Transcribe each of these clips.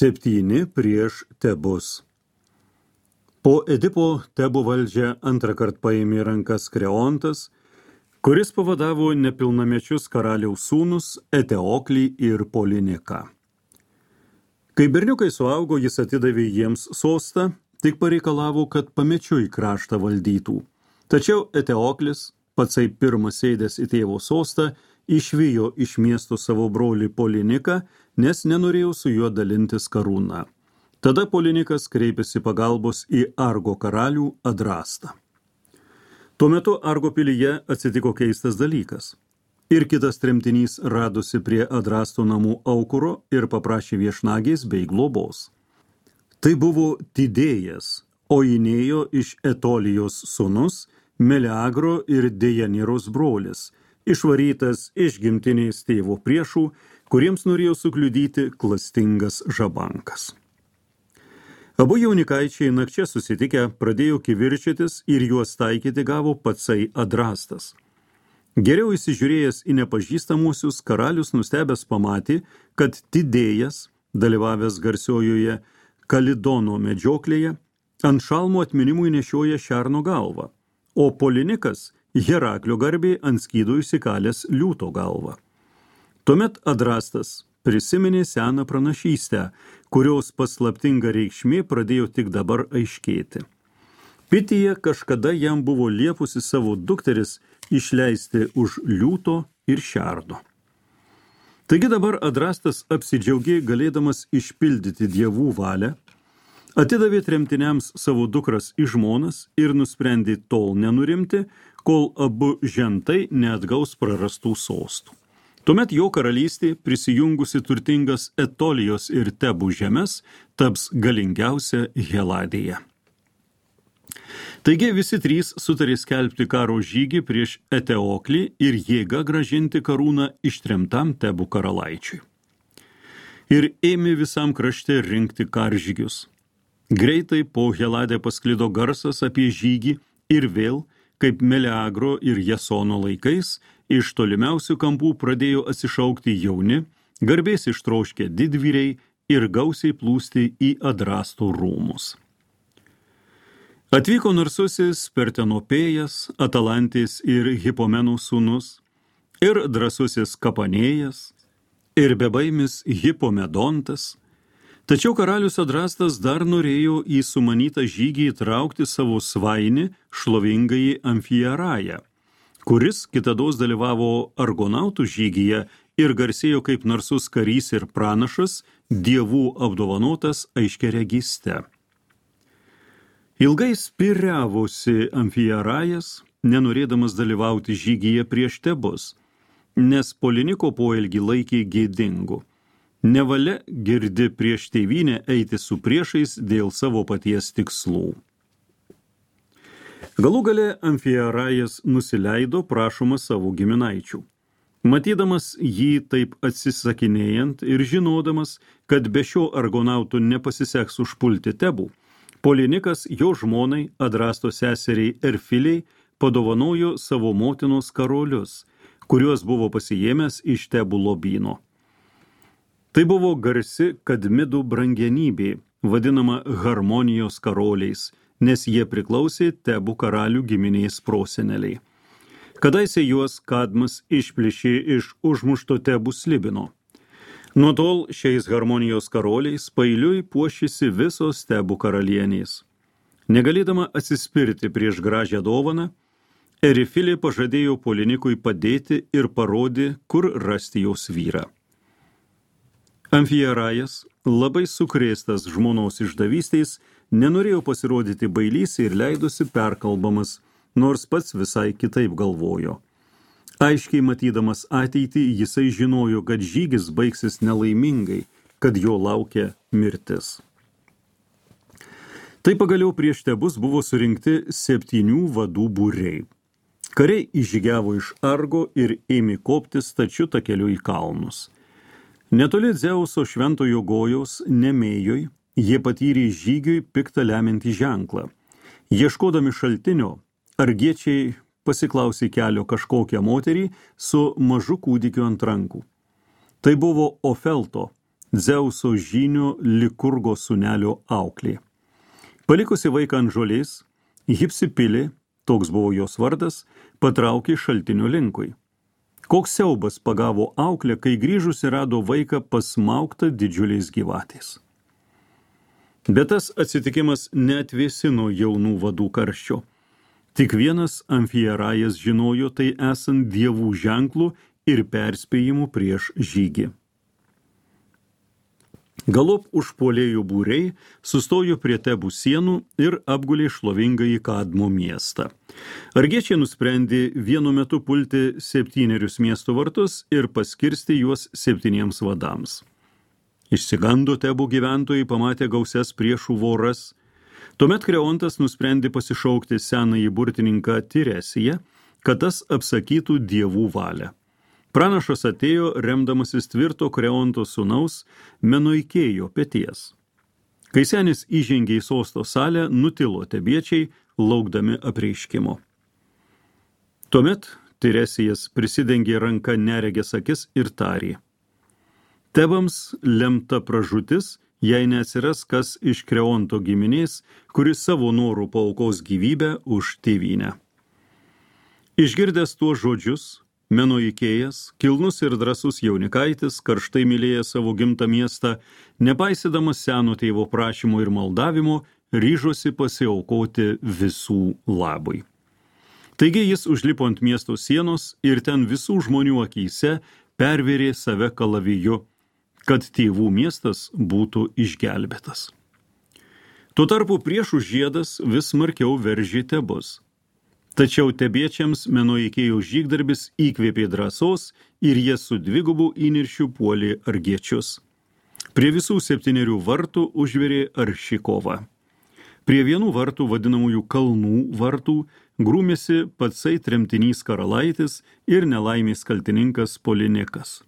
7 prieš Tebus. Po Edipo Tebų valdžią antrą kartą paėmė rankas Kreontas, kuris pavadavo nepilnamečius karaliaus sūnus Eteoklį ir Poliniką. Kai berniukai suaugo, jis atidavė jiems sostą, tik pareikalavo, kad pamečiui kraštą valdytų. Tačiau Eteoklis, patsai pirmas sėdęs į tėvo sostą, išvijo iš miesto savo brolį Poliniką, nes nenorėjo su juo dalintis karūną. Tada Polinikas kreipėsi pagalbos į Argo karalių Adrastą. Tuo metu Argo pilyje atsitiko keistas dalykas. Ir kitas tremtinys radosi prie Adrasto namų aukuro ir paprašė viešnagės bei globos. Tai buvo Tidėjas, Oinėjo iš Etolijos sūnus, Meleagro ir Dejaniros brolis, išvarytas iš gimtinės tėvo priešų, kuriems norėjo sukliudyti klastingas žabankas. Abu jaunikaičiai nakčia susitikę pradėjo kivirčytis ir juos taikyti gavo patsai Adrastas. Geriau įsižiūrėjęs į nepažįstamuosius, karalius nustebęs pamatė, kad Tidėjas, dalyvavęs garsiojoje Kalidono medžioklėje, ant šalmo atminimui nešioja šerno galvą, o Polinikas Heraklio garbė ant skydo įsikalęs liūto galvą. Tuomet Adrastas prisiminė seną pranašystę, kurios paslaptinga reikšmė pradėjo tik dabar aiškėti. Pitija kažkada jam buvo liepusi savo dukteris išleisti už liūto ir šerno. Taigi dabar Adrastas apsidžiaugė galėdamas išpildyti dievų valią, atidavė tremtiniams savo dukras į žmonas ir nusprendė tol nenurimti, kol abu žentai neatgaus prarastų sostų. Tuomet jo karalystė, prisijungusi turtingas Etolijos ir Tebų žemes, taps galingiausia Heladėje. Taigi visi trys sutarė skelbti karo žygį prieš Eteoklį ir jėga grąžinti karūną ištremtam Tebų karalaičiui. Ir ėmė visam krašte rinkti karžygius. Greitai po Heladę pasklido garsas apie žygį ir vėl, kaip Meleagro ir Jasono laikais, iš tolimiausių kampų pradėjo atsišaukti jauni, garbės ištroškę didvyriai ir gausiai plūsti į Adrasto rūmus. Atvyko narsusis Pertenopėjas, Atalantės ir Hipomenų sūnus, ir drąsusis Kapanėjas, ir bebaimis Hipomedontas. Tačiau karalius Adrastas dar norėjo į sumanytą žygį įtraukti savo svainį šlovingąjį Amfiarają, kuris kitados dalyvavo argonautų žygyje ir garsėjo kaip narsus karys ir pranašas, dievų apdovanotas aiškiaregiste. Ilgai spiriavosi Amfiarajas, nenorėdamas dalyvauti žygyje prieš Tebus, nes Poliniko poelgį laikė gėdingu. Nevalia girdi prieš tėvynę eiti su priešais dėl savo paties tikslų. Galų gale Amfiarajas nusileido prašomas savo giminaičių. Matydamas jį taip atsisakinėjant ir žinodamas, kad be šio argonautų nepasiseks užpulti Tebų, Polinikas jo žmonai Adrasto seseriai Erfiliai padovanojo savo motinos karolius, kuriuos buvo pasiėmęs iš Tebų lobyno. Tai buvo garsi Kadmidų brangenybė, vadinama Harmonijos karoliais, nes jie priklausė Tebų karalių giminės proseneliai. Kadaise juos Kadmas išplėšė iš užmušto Tebų slibino. Nuo tol šiais Harmonijos karoliais pailiui puošėsi visos Tebų karalienės. Negalėdama atsispirti prieš gražią dovaną, Erifilė pažadėjo Polinikui padėti ir parodė, kur rasti jos vyrą. Amfiarajas, labai sukrėstas žmonos išdavystės, nenorėjo pasirodyti bailys ir leidosi perkalbamas, nors pats visai kitaip galvojo. Aiškiai matydamas ateitį, jisai žinojo, kad žygis baigsis nelaimingai, kad jo laukia mirtis. Tai pagaliau prieš Tebus buvo surinkti 7 vadų būriai. Kariai įžygiavo iš Argo ir ėmė kopti stačiu takeliu į kalnus. Netoli Dzeuso šventojo Gojaus Nemėjoj jie patyrė žygiui piktą lemiantį ženklą. Ieškodami šaltinio, argiečiai pasiklausė kelio kažkokią moterį su mažu kūdikiu ant rankų. Tai buvo Ofelto, Dzeuso žynio Likurgo sūnelio auklė. Palikusi vaiką ant žolės, Hipsipilė, toks buvo jos vardas, patraukė šaltinio linkui. Koks siaubas pagavo auklę, kai grįžusi rado vaiką pasmaugtą didžiuliais gyvatės. Bet tas atsitikimas neatvėsino jaunų vadų karščio. Tik vienas Amfierajas žinojo tai esant dievų ženklų ir perspėjimų prieš žygį. Galop užpuolėjų būriai sustojo prie Tebų sienų ir apgulė šlovingąjį Kadmo miestą. Argiečiai nusprendė vienu metu pulti 7 miesto vartus ir paskirsti juos 7 vadams. Išsigando Tebų gyventojai, pamatė gausias priešų voras. Tuomet Kreontas nusprendė pasišaukti senąjį burtininką Tiresiją, kad tas apsakytų dievų valią. Pranašas atėjo, remdamasis tvirto Kreonto sūnaus Menoikėjo peties. Kai senis įžengė į sosto salę, nutilo tebiečiai, laukdami apreiškimo. Tuomet Tiresijas prisidengė ranką neregės akis ir tarė: Tebams lemta pražūtis, jei neatsiras kas iš Kreonto giminės, kuris savo norų paaukos gyvybę už tėvynę. Išgirdęs tuos žodžius, Menoikėjas, kilnus ir drąsus jaunikaitis, karštai mylėjęs savo gimtą miestą, nepaisydamas seno tėvo prašymo ir maldavimo, ryžosi pasiaukoti visų labui. Taigi jis užlipo ant miesto sienos ir ten visų žmonių akyse pervėrė save kalaviju, kad tėvų miestas būtų išgelbėtas. Tuo tarpu priešų žiedas vis smarkiau veržė Tebus. Tačiau tebiečiams Menoikėjo žygdarbis įkvėpė drąsos ir jie su dvigubu įniršiu puolė argiečius. Prie visų 7 vartų užvirė arši kova. Prie vienų vartų, vadinamųjų kalnų vartų, grūmėsi patsai tremtinys karalaitis ir nelaimės kaltininkas Polinikas.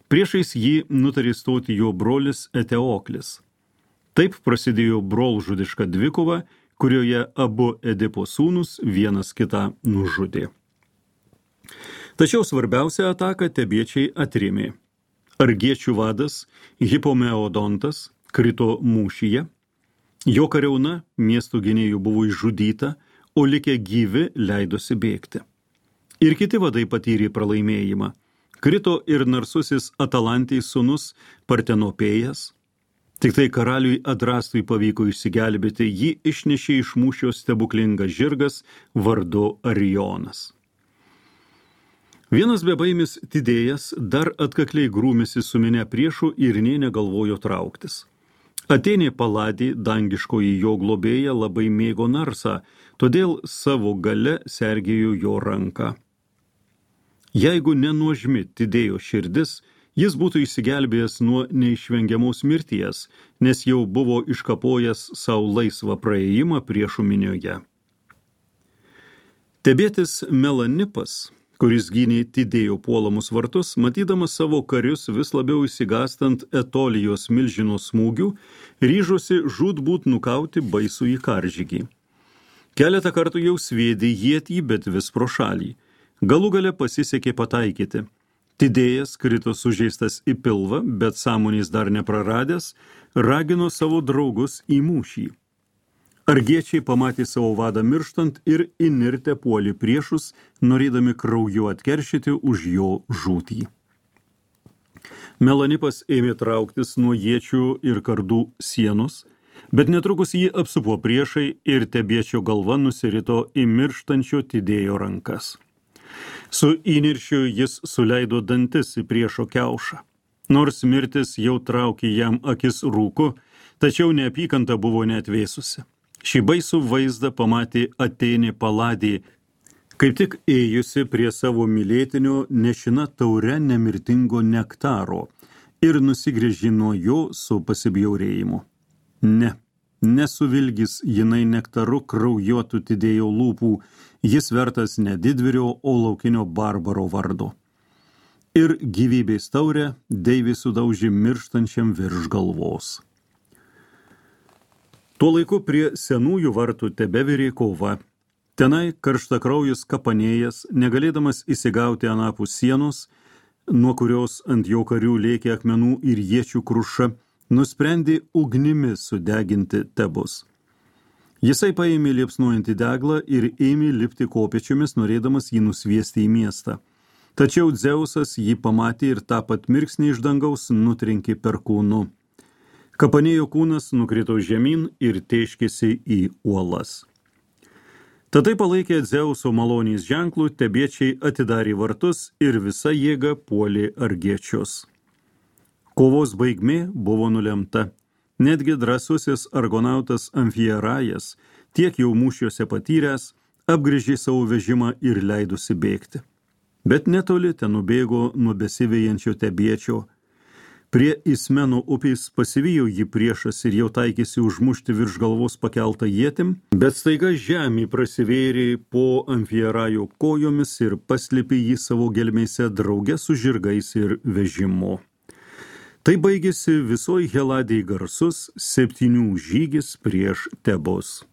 Priešais jį nutarė stoti jo brolis Eteoklis. Taip prasidėjo brolžudiška dvikova, kurioje abu Edipo sūnus vienas kitą nužudė. Tačiau svarbiausią ataką tebiečiai atrėmė. Argiečių vadas Hipomeodontas krito mūšyje, jo kariauna miestų gynėjų buvo išžudyta, o likę gyvi leidosi bėgti. Ir kiti vadai patyrė pralaimėjimą. Krito ir narsusis Atalantės sūnus Partenopėjas. Tik tai karaliui Adrastui pavyko išsigelbėti, jį išnešė iš mūšio stebuklingas žirgas vardu Arionas. Vienas bebaimis Tidėjas dar atkakliai grūmėsi su minia priešų ir nė negalvojo trauktis. Atėnė Paladė, dangiškoji jo globėja, labai mėgo narsą, todėl savo gale sergėjo jo ranką. Jeigu nenuožmi Tidėjo širdis, jis būtų išsigelbėjęs nuo neišvengiamos mirties, nes jau buvo iškapojęs savo laisvą praėjimą priešų minioje. Tebietis Melanipas, kuris gynė Tidėjo puolamus vartus, matydamas savo karius vis labiau išsigastant Etolijos milžino smūgių, ryžosi žūtbūt nukauti baisųjį karžygį. Keletą kartų jau sviedė ietį, bet vis pro šalį. Galų gale pasisekė pataikyti. Tidėjas krito sužeistas į pilvą, bet sąmonės dar nepraradęs, ragino savo draugus į mūšį. Argiečiai pamatė savo vadą mirštant ir įnirtę puolė priešus, norėdami krauju atkeršyti už jo žūtį. Melanipas ėmė trauktis nuo iečių ir kardų sienos, bet netrukus jį apsupo priešai ir tebiečio galva nusirito į mirštančio Tidėjo rankas. Su įniršiu jis suleido dantis į priešo kiaušą. Nors mirtis jau traukė jam akis rūku, tačiau neapykanta buvo neatvėsusi. Šį baisų vaizdą pamatė Atėnė Paladė, kaip tik ėjusi prie savo mylėtinio nešina taure nemirtingo nektaro ir nusigręžė nuo jo su pasibjaurėjimu. Nesuvilgis jinai nektaru kraujuotų Tidėjo lūpų, jis vertas ne didvyrio, o laukinio barbaro vardo. Ir gyvybės taurę deivė sudaužė mirštančiam virš galvos. Tuo laiku prie senųjų vartų tebevirė kova. Tenai karštakraujus Kapanėjas, negalėdamas įsigauti anapus sienos, nuo kurios ant jo karių lėkė akmenų ir iečių kruša, nusprendė ugnimi sudeginti Tebus. Jisai paėmė liepsnojantį deglą ir ėmė lipti kopėčiomis, norėdamas jį nusviesti į miestą. Tačiau Dzeusas jį pamatė ir tą pat mirksnį iš dangaus nutrenkė perkūnu. Kapanėjo kūnas nukrito žemyn ir tėškėsi į uolas. Tatai palaikę Dzeuso malonės ženklų, tebiečiai atidarė vartus ir visa jėga puolė argiečius. Kovos baigmė buvo nulemta. Netgi drąsusis argonautas Amfierajas, tiek jau mūšiuose patyręs, apgrįžė savo vežimą ir leidosi bėgti. Bet netoli ten nubėgo nuo besivėjančio tebiečio. Prie Ismeno upės pasivijo jį priešas ir jau taikėsi užmušti virš galvos pakeltą ietim, bet staiga žemė prasivėrė po Amfierajo kojomis ir paslėpė jį savo gelmėse drauge su žirgais ir vežimu. Tai baigėsi visoj Heladėj garsus 7 žygis prieš Tebus.